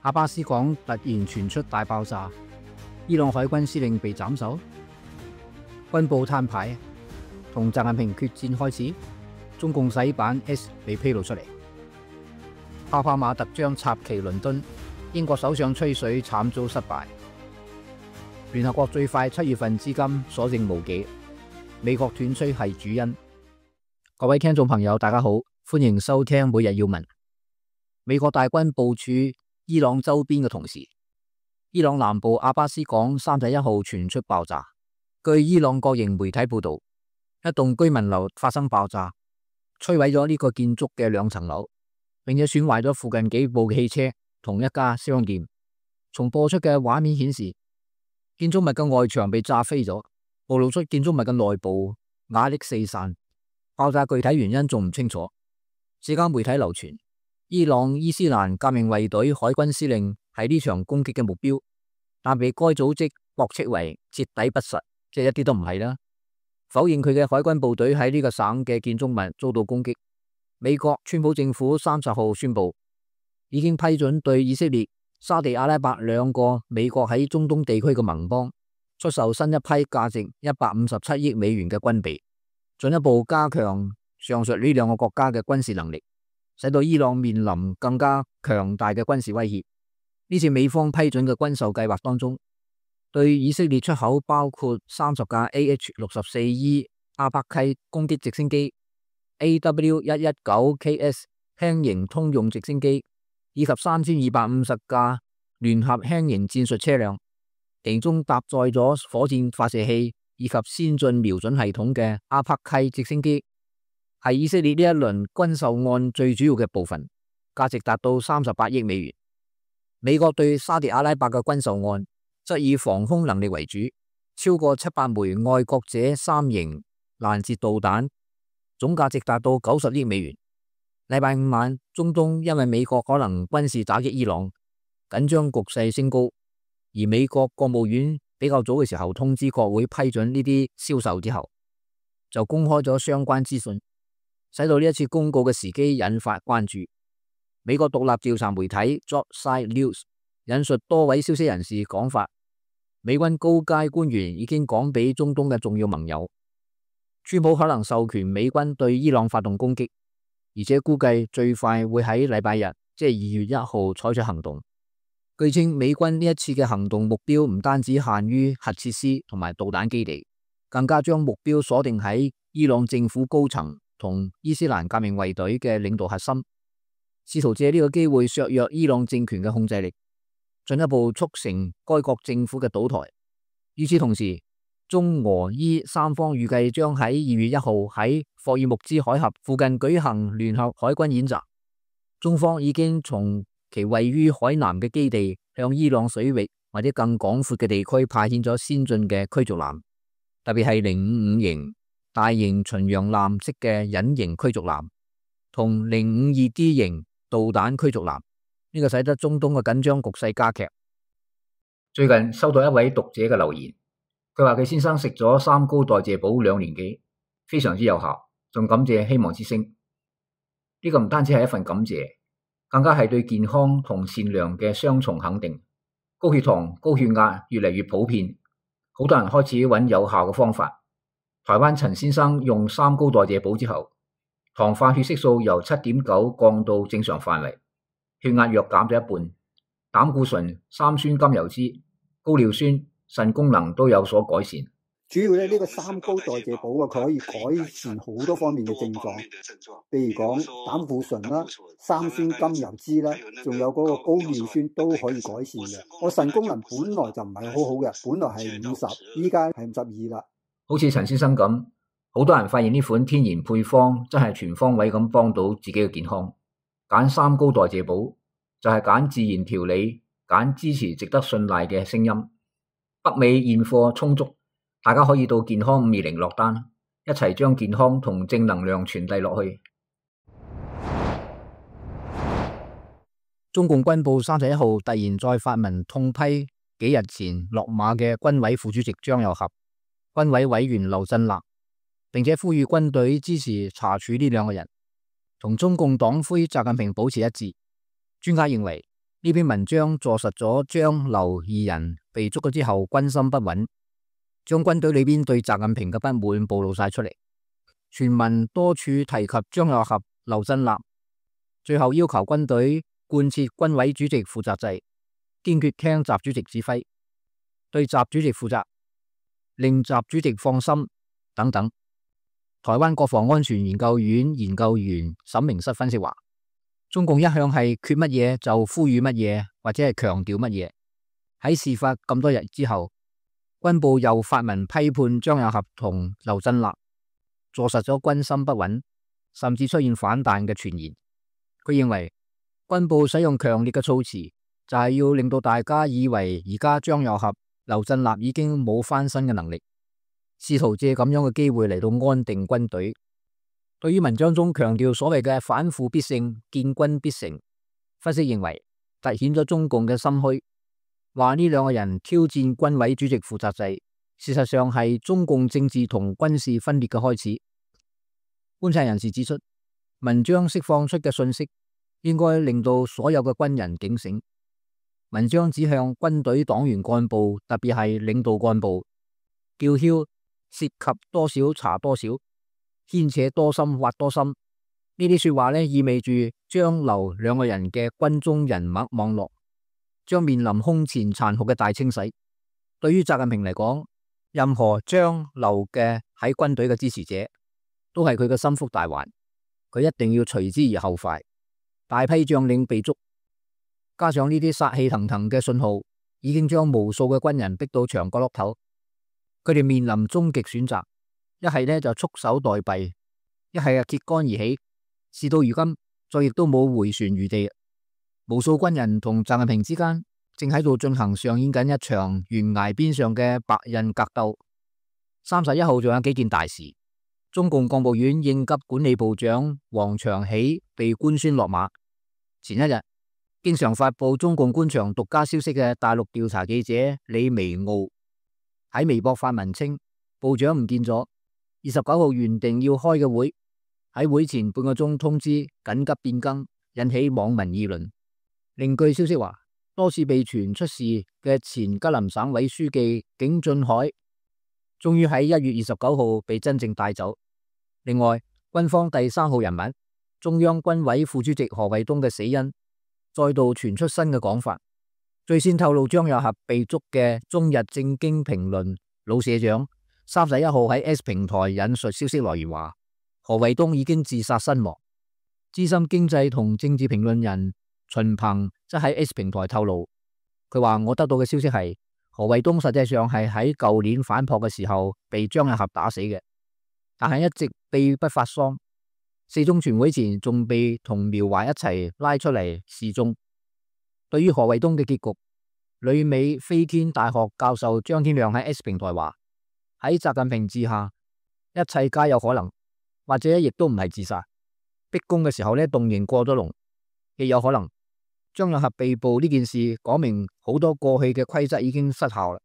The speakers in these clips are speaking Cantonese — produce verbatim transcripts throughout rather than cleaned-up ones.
阿巴斯港突然傳出大爆炸，伊朗海軍司令被斬首，軍部攤牌，同習近平決戰開始，中共洗版 S 被披露出嚟，哈帕馬特將插旗倫敦，英國首相吹水慘遭失敗，聯合國最快七月份資金所剩無幾，美國斷炊係主因。各位聽眾朋友，大家好，歡迎收聽每日要聞。美國大軍部署伊朗周邊嘅同時，伊朗南部阿巴斯港三十一號傳出爆炸。據伊朗國營媒體報道，一棟居民樓發生爆炸，摧毀咗呢個建築嘅兩層樓，並且損壞咗附近幾部汽車同一家商店。從播出嘅畫面顯示，建築物嘅外牆被炸飛咗，暴露出建築物嘅內部瓦礫四散。爆炸具體原因仲唔清楚。社交媒體流傳，伊朗伊斯蘭革命衛隊海軍司令係呢場攻擊嘅目標，但被該組織駁斥為徹底不實，即係一啲都唔係啦。否認佢嘅海軍部隊喺呢個省嘅建築物遭到攻擊。美國川普政府三十號宣布，已經批准對以色列、沙地阿拉伯兩個美國喺中東地區嘅盟邦出售新一批價值一百五十七億美元嘅軍備，進一步加強上述呢兩個國家嘅軍事能力，使到伊朗面臨更加強大嘅軍事威脅。呢次美方批准嘅軍售計劃當中，對以色列出口包括三十架 A H 六十四 E 阿帕契攻擊直升機、A W 一一九 K S 輕型通用直升機，以及三千二百五十架聯合輕型戰術車輛，其中搭載咗火箭發射器以及先進瞄準系統嘅阿帕契直升機，係以色列呢一輪軍售案最主要嘅部分，價值達到三十八億美元。美國對沙特阿拉伯嘅軍售案則以防空能力為主，超過七百枚愛國者三型攔截導彈，總價值達到九十億美元。禮拜五晚，中東因為美國可能軍事打擊伊朗，緊張局勢升高，而美國國務院比較早嘅時候通知國會批准呢啲銷售之後，就公開咗相關資訊，使到呢一次公告嘅時機引發關注。美國獨立調查媒體 Jopside News 引述多位消息人士講法，美軍高階官員已經講俾中東嘅重要盟友，川普可能授權美軍對伊朗發動攻擊，而且估計最快會喺禮拜日，即係二月一號採取行動。據稱，美軍呢一次嘅行動目標唔單止限於核設施同埋導彈基地，更加將目標鎖定喺伊朗政府高層同伊斯蘭革命衛隊嘅領導核心，試圖借呢個機會削弱伊朗政權嘅控制力，進一步促成該國政府嘅倒台。與此同時，中俄伊三方預計將喺二月一號喺霍爾木茲海峽附近舉行聯合海軍演習。中方已經從其位於海南嘅基地向伊朗水域或者更廣闊嘅地區派遣咗先進嘅驅逐艦，特別係零五五型大型巡洋艦式嘅隱形驅逐艦同零五二 D 型導彈驅逐艦，呢個使得中東嘅緊張局勢加劇。最近收到一位讀者嘅留言，佢話佢先生食咗三高代謝寶兩年幾，非常之有效，仲感謝希望之聲。呢個唔單止係一份感謝，更加係對健康同善良嘅雙重肯定。高血糖、高血壓越嚟越普遍，好多人開始揾有效嘅方法。台灣陳先生用三高代謝寶之後，糖化血色素由七點九降到正常範圍，血壓約減咗一半，膽固醇、三酸甘油酯、高尿酸、腎功能都有所改善。主要咧呢個三高代謝寶啊，佢可以改善好多方面嘅症狀，譬如講膽固醇啦、三酸甘油酯啦，仲有嗰個高尿酸都可以改善嘅。我腎功能本來就唔係好好嘅，本來係五十，依家係五十二啦。好似陳先生咁，好多人發現呢款天然配方真係全方位咁幫到自己嘅健康。揀三高代謝寶就係揀自然調理，揀支持值得信賴嘅聲音。北美現貨充足，大家可以到健康五二零落單，一齊將健康同正能量傳遞落去。中共軍部三十一號突然再發文痛批幾日前落馬嘅軍委副主席張又俠、軍委委員劉振立，並且呼籲軍隊支持查處呢兩個人，同中共黨魁習近平保持一致。專家認為，呢篇文章坐實咗張劉二人被捉咗之後軍心不穩，將軍隊裏邊對習近平嘅不滿暴露晒出嚟。全文多處提及張又俠、劉振立，最後要求軍隊貫徹軍委主席負責制，堅決聽習主席指揮，對習主席負責，令習主席放心等等。台灣國防安全研究院研究員沈明室分析話，中共一向係缺乜嘢就呼籲乜嘢，或者係強調乜嘢。喺事發咁多日之後，軍部又發文批判張又俠同劉振立，坐實咗軍心不穩，甚至出現反彈嘅傳言。佢認為軍部使用強烈嘅措辭，就係要令到大家以為而家張又俠、劉振立已經冇翻身嘅能力，試圖借咁樣嘅機會嚟到安定軍隊。對於文章中強調所謂嘅反腐必勝、建軍必成，分析認為凸顯咗中共嘅心虛，話呢兩個人挑戰軍委主席負責制，事實上係中共政治同軍事分裂嘅開始。觀察人士指出，文章釋放出嘅信息應該令到所有嘅軍人警醒。文章指向軍隊黨員幹部，特別係領導幹部，叫囂涉及多少查多少，牽扯多深挖多深。呢啲說話呢，意味住張劉兩個人嘅軍中人脈網絡將面臨空前殘酷嘅大清洗。對於習近平嚟講，任何張劉嘅喺軍隊嘅支持者都係佢嘅心腹大患，佢一定要隨之而後快。大批將領被捉，加上呢啲殺氣騰騰嘅信號，已經將無數嘅軍人逼到牆角落頭。佢哋面臨終極選擇，一係呢就束手待斃，一係啊揭竿而起。事到如今，再亦都冇回旋餘地。無數軍人同習近平之間正喺度進行上演緊一場懸崖邊上嘅白刃格鬥。三十一號仲有幾件大事，中共國務院應急管理部長王長喜被官宣落馬。前一日，經常發布中共官場獨家消息嘅大陸調查記者李微傲喺微博發文稱，部長唔見咗，二十九號原定要開嘅會，喺會前半個鐘通知緊急變更，引起網民議論。另據消息話，多次被傳出事嘅前吉林省委書記景俊海，終於喺一月二十九號被真正帶走。另外，軍方第三號人物中央軍委副主席何衛東嘅死因，再度傳出新嘅講法。最先透露張又俠被捉嘅中日正經評論老社長，三十一號喺 S 平台引述消息來源話，何衛東已經自殺身亡。資深經濟同政治評論人秦鵬則喺 S 平台透露，佢話我得到嘅消息係何衛東實際上係喺舊年反撲嘅時候被張又俠打死嘅，但係一直秘不發喪。四中全會前仲被同苗華一齊拉出嚟示眾。對於何衛東嘅結局，旅美飛天大學教授張天亮喺 S 平台話，喺習近平治下，一切皆有可能，或者亦都唔係自殺。逼宮嘅時候呢，動刑過咗龍，亦有可能張又俠被捕呢件事講明好多過去嘅規則已經失效啦。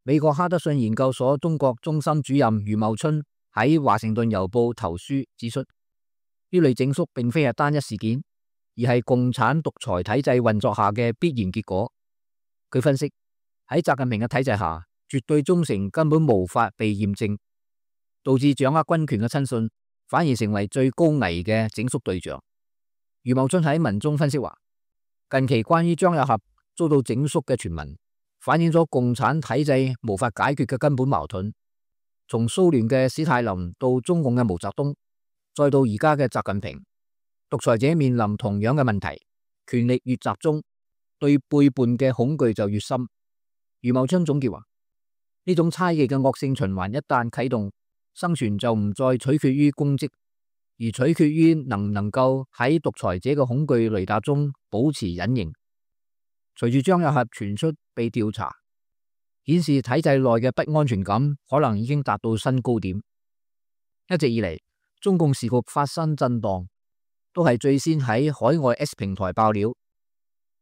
美國哈德遜研究所中國中心主任余茂春喺華盛頓郵報投書指出，呢類整肅並非係單一事件，而係共產獨裁體制運作下嘅必然結果。佢分析，喺習近平嘅體制下，絕對忠誠根本無法被驗證，導致掌握軍權嘅親信反而成為最高危嘅整肅對象。余茂春喺文中分析話，近期關於張又俠遭到整肅嘅傳聞，反映咗共產體制無法解決嘅根本矛盾。從蘇聯嘅史太林到中共嘅毛澤東，再到而家嘅習近平，獨裁者面臨同樣嘅問題，權力越集中，對背叛嘅恐懼就越深。余茂春總結話，呢種猜忌嘅惡性循環一旦啟動，生存就唔再取決於功績，而取決於能唔能夠喺獨裁者嘅恐懼雷達中保持隱形。隨住張又俠傳出被調查，顯示體制內嘅不安全感可能已經達到新高點。一直以嚟，中共時局發生震盪，都係最先喺海外 S 平台爆料。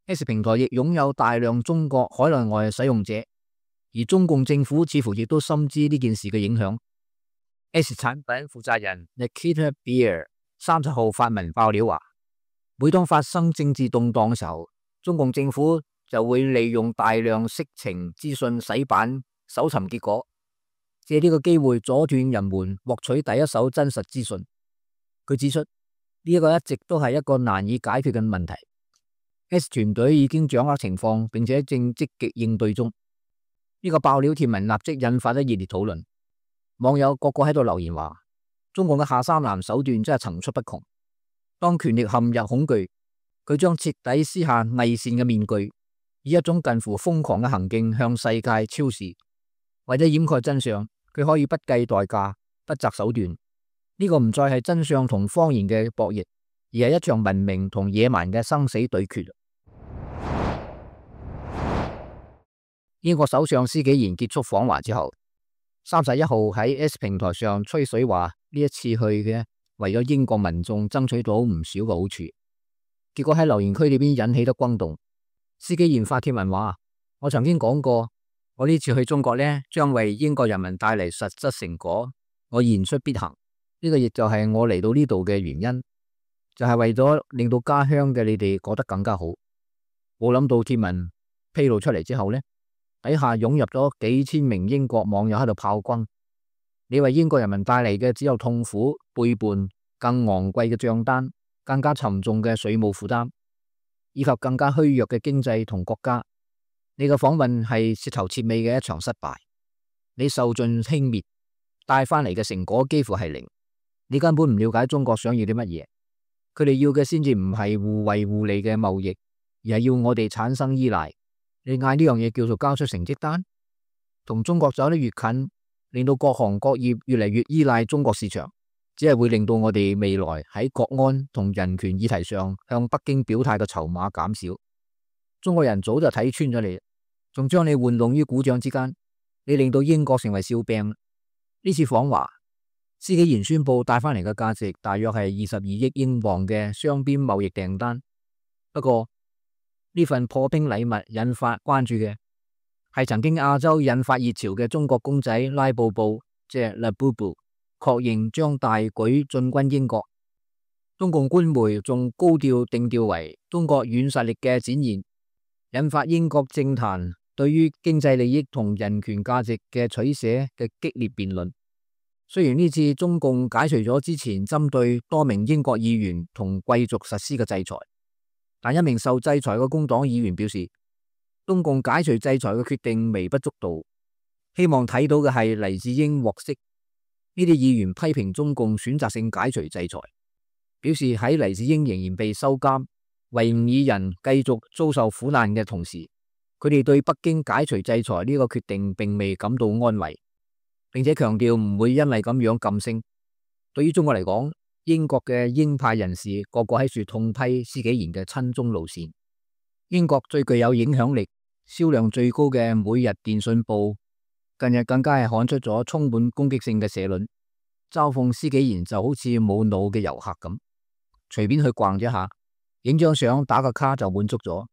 S 平台亦擁有大量中國海內外使用者，而中共政府似乎亦都深知呢件事嘅影響。S 產品負責人 Nikita Beer 三十號發文爆料話，每當發生政治動盪嘅時候，中共政府就會利用大量色情資訊洗版搜尋結果，借呢個機會阻斷人們獲取第一手真實資訊。佢指出呢一個一直都係一個難以解決嘅問題。S 團隊已經掌握情況，並且正積極應對中。呢個爆料貼文立即引發咗熱烈討論，網友個個喺度留言話：中共嘅下三濫手段真係層出不窮。當權力陷入恐懼，佢將徹底撕下偽善嘅面具，以一種近乎瘋狂嘅行徑向世界昭示。為咗掩蓋真相，佢可以不計代價、不擇手段。呢、這個唔再係真相同謊言嘅博弈，而係一場文明同野蠻嘅生死對決。英國首相施紀賢結束訪華之後，三十一號喺 S 平台上吹水話呢一次去嘅為咗英國民眾爭取到唔少嘅好處，結果喺留言區裏邊引起咗轟動。施紀賢發帖文話：我曾經講過，我呢次去中國呢，將為英國人民帶嚟實質成果，我言出必行。呢個亦就係我嚟到呢度嘅原因，就係為咗令到家鄉嘅你哋過得更加好。冇諗到帖文披露出嚟之後呢，底下湧入咗幾千名英國網友喺度炮轟，你為英國人民帶嚟嘅只有痛苦、背叛、更昂貴嘅賬單、更加沉重嘅稅務負擔，以及更加虛弱嘅經濟同國家。你嘅訪問係徹頭徹尾嘅一場失敗，你受盡輕蔑，帶翻嚟嘅成果幾乎係零。你根本唔了解中國想要啲乜嘢，佢哋要嘅先至唔係互惠互利嘅貿易，而係要我哋產生依賴。你嗌呢樣嘢叫做交出成績單？同中國走得越近，令到各行各業越嚟越依賴中國市場，只係會令到我哋未來喺國安同人權議題上向北京表態嘅籌碼減少。中國人早就睇穿咗你，仲將你玩弄於股掌之間，你令到英國成為笑柄。呢次訪華，施紀賢宣布帶翻嚟嘅價值大約係二十二億英鎊嘅雙邊貿易訂單。不過呢份破冰禮物引發關注嘅係曾經亞洲引發熱潮嘅中國公仔拉布布，即係 Labubu， 確認將大舉進軍英國。中共官媒仲高調定調為中國軟實力嘅展現，引發英國政壇對於經濟利益同人權價值嘅取捨嘅激烈辯論。雖然呢次中共解除咗之前針對多名英國議員同貴族實施嘅制裁，但一名受制裁嘅工黨議員表示，中共解除制裁嘅決定微不足道，希望睇到嘅係黎智英獲釋。呢啲議員批評中共選擇性解除制裁，表示喺黎智英仍然被收監、維吾爾人繼續遭受苦難嘅同時，佢哋對北京解除制裁呢個決定並未感到安慰，並且強調唔會因為咁樣噤聲。對於中國嚟講，英國嘅鷹派人士個個喺處痛批施紀賢嘅親中路線。英國最具有影響力、銷量最高嘅每日電訊報近日更加係刊出咗充滿攻擊性嘅社論，嘲諷施紀賢就好似冇腦嘅遊客咁，隨便去逛咗下，影張相打個卡就滿足咗。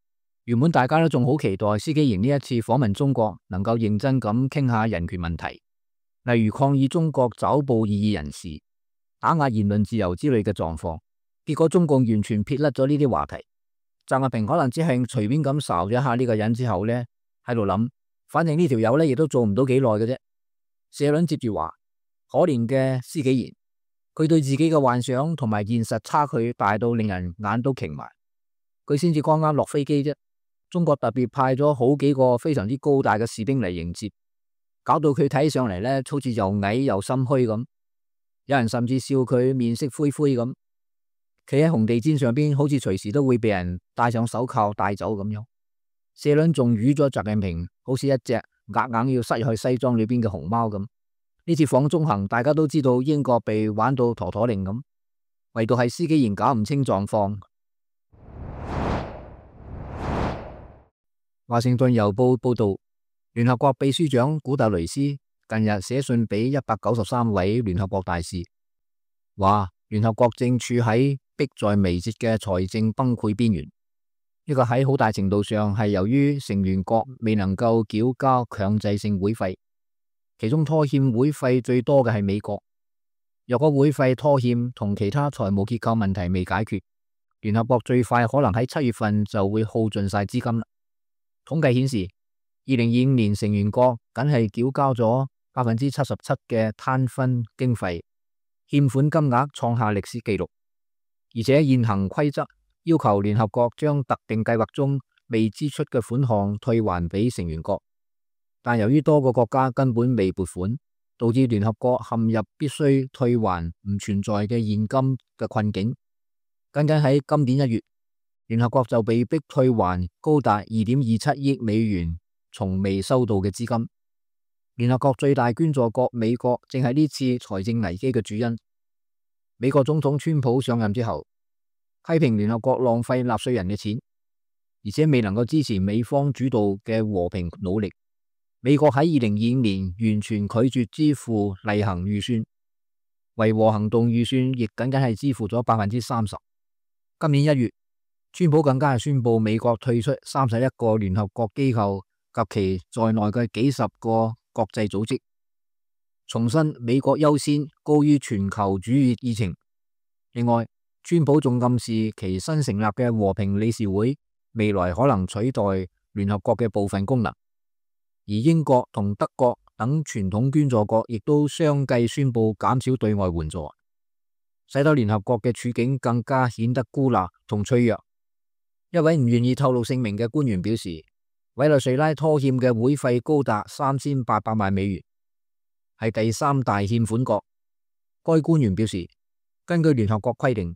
原本大家都仲好期待施紀賢呢一次訪問中國能夠認真咁傾下人權問題，例如抗議中國抓捕異議人士、打壓言論自由之類嘅狀況，結果中共完全撇甩咗呢啲話題。習近平可能只係隨便咁睄咗一下呢個人之後呢，喺度諗，反正呢條友呢亦都做唔到幾耐嘅啫。社論接住話，可憐嘅施紀賢，佢對自己嘅幻想同埋現實差距大到令人眼都擎埋。佢先至剛啱落飛機啫，中國特別派咗好幾個非常之高大嘅士兵嚟迎接，搞到佢睇上嚟呢好似又矮又心虛咁。有人甚至笑佢面色灰灰咁，企喺紅地毯上邊，好似隨時都會被人戴上手銬帶走咁樣。社論仲語咗習近平好似一隻硬硬要塞入去西裝裏邊嘅熊貓咁。呢次訪中行，大家都知道英國被玩到陀陀令咁，唯獨係施紀賢搞唔清狀況。華盛頓郵報報道，聯合國秘書長古特雷斯近日寫信俾一百九十三位聯合國大使，話聯合國正處喺迫在眉睫嘅財政崩潰邊緣。呢個喺好大程度上係由於成員國未能夠繳交強制性會費，其中拖欠會費最多嘅係美國。若果會費拖欠同其他財務結構問題未解決，聯合國最快可能喺七月份就會耗盡晒資金啦。統計顯示，二零二五年成員國僅係繳交咗百分之七十七嘅攤分經費，欠款金額創下歷史紀錄。而且現行規則要求聯合國將特定計劃中未支出嘅款項退還俾成員國，但由於多個國家根本未撥款，導致聯合國陷入必須退還唔存在嘅現金嘅困境。僅僅喺今年一月，聯合國就被迫退還高達二點二七億美元從未收到嘅資金。聯合國最大捐助國美國正係呢次財政危機嘅主因。美國總統川普上任之後，批評聯合國浪費納稅人嘅錢，而且未能夠支持美方主導嘅和平努力。美國喺二零二五年完全拒絕支付例行預算，維和行動預算亦僅僅係支付咗百分之三十。今年一月，川普更加係宣布美國退出三十一個聯合國機構及其在內嘅幾十個國際組織，重申美國優先高於全球主義議程。另外，川普仲暗示其新成立嘅和平理事會未來可能取代聯合國嘅部分功能，而英國同德國等傳統捐助國亦都相繼宣布減少對外援助，使得聯合國嘅處境更加顯得孤立同脆弱。一位唔願意透露姓名嘅官員表示，委內瑞拉拖欠嘅會費高達三千八百萬美元，係第三大欠款國。該官員表示，根據聯合國規定，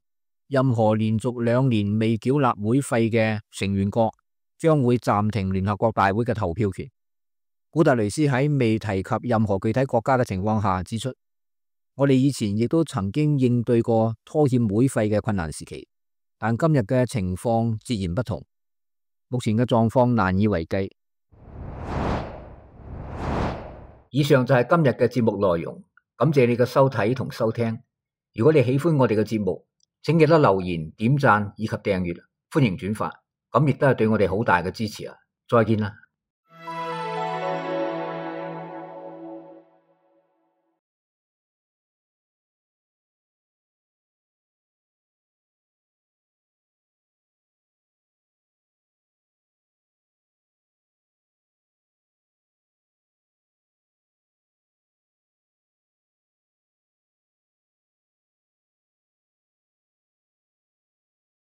任何連續兩年未繳納會費嘅成員國將會暫停聯合國大會嘅投票權。古特雷斯喺未提及任何具體國家嘅情況下指出，我哋以前亦都曾經應對過拖欠會費嘅困難時期，但今日嘅情況截然不同。目前嘅狀況難以為繼。以上就係今日嘅節目內容，感謝你嘅收睇同收聽。如果你喜歡我哋嘅節目，請記得留言、點讚以及訂閱，歡迎轉發，咁亦都係對我哋好大嘅支持啊！再見啦。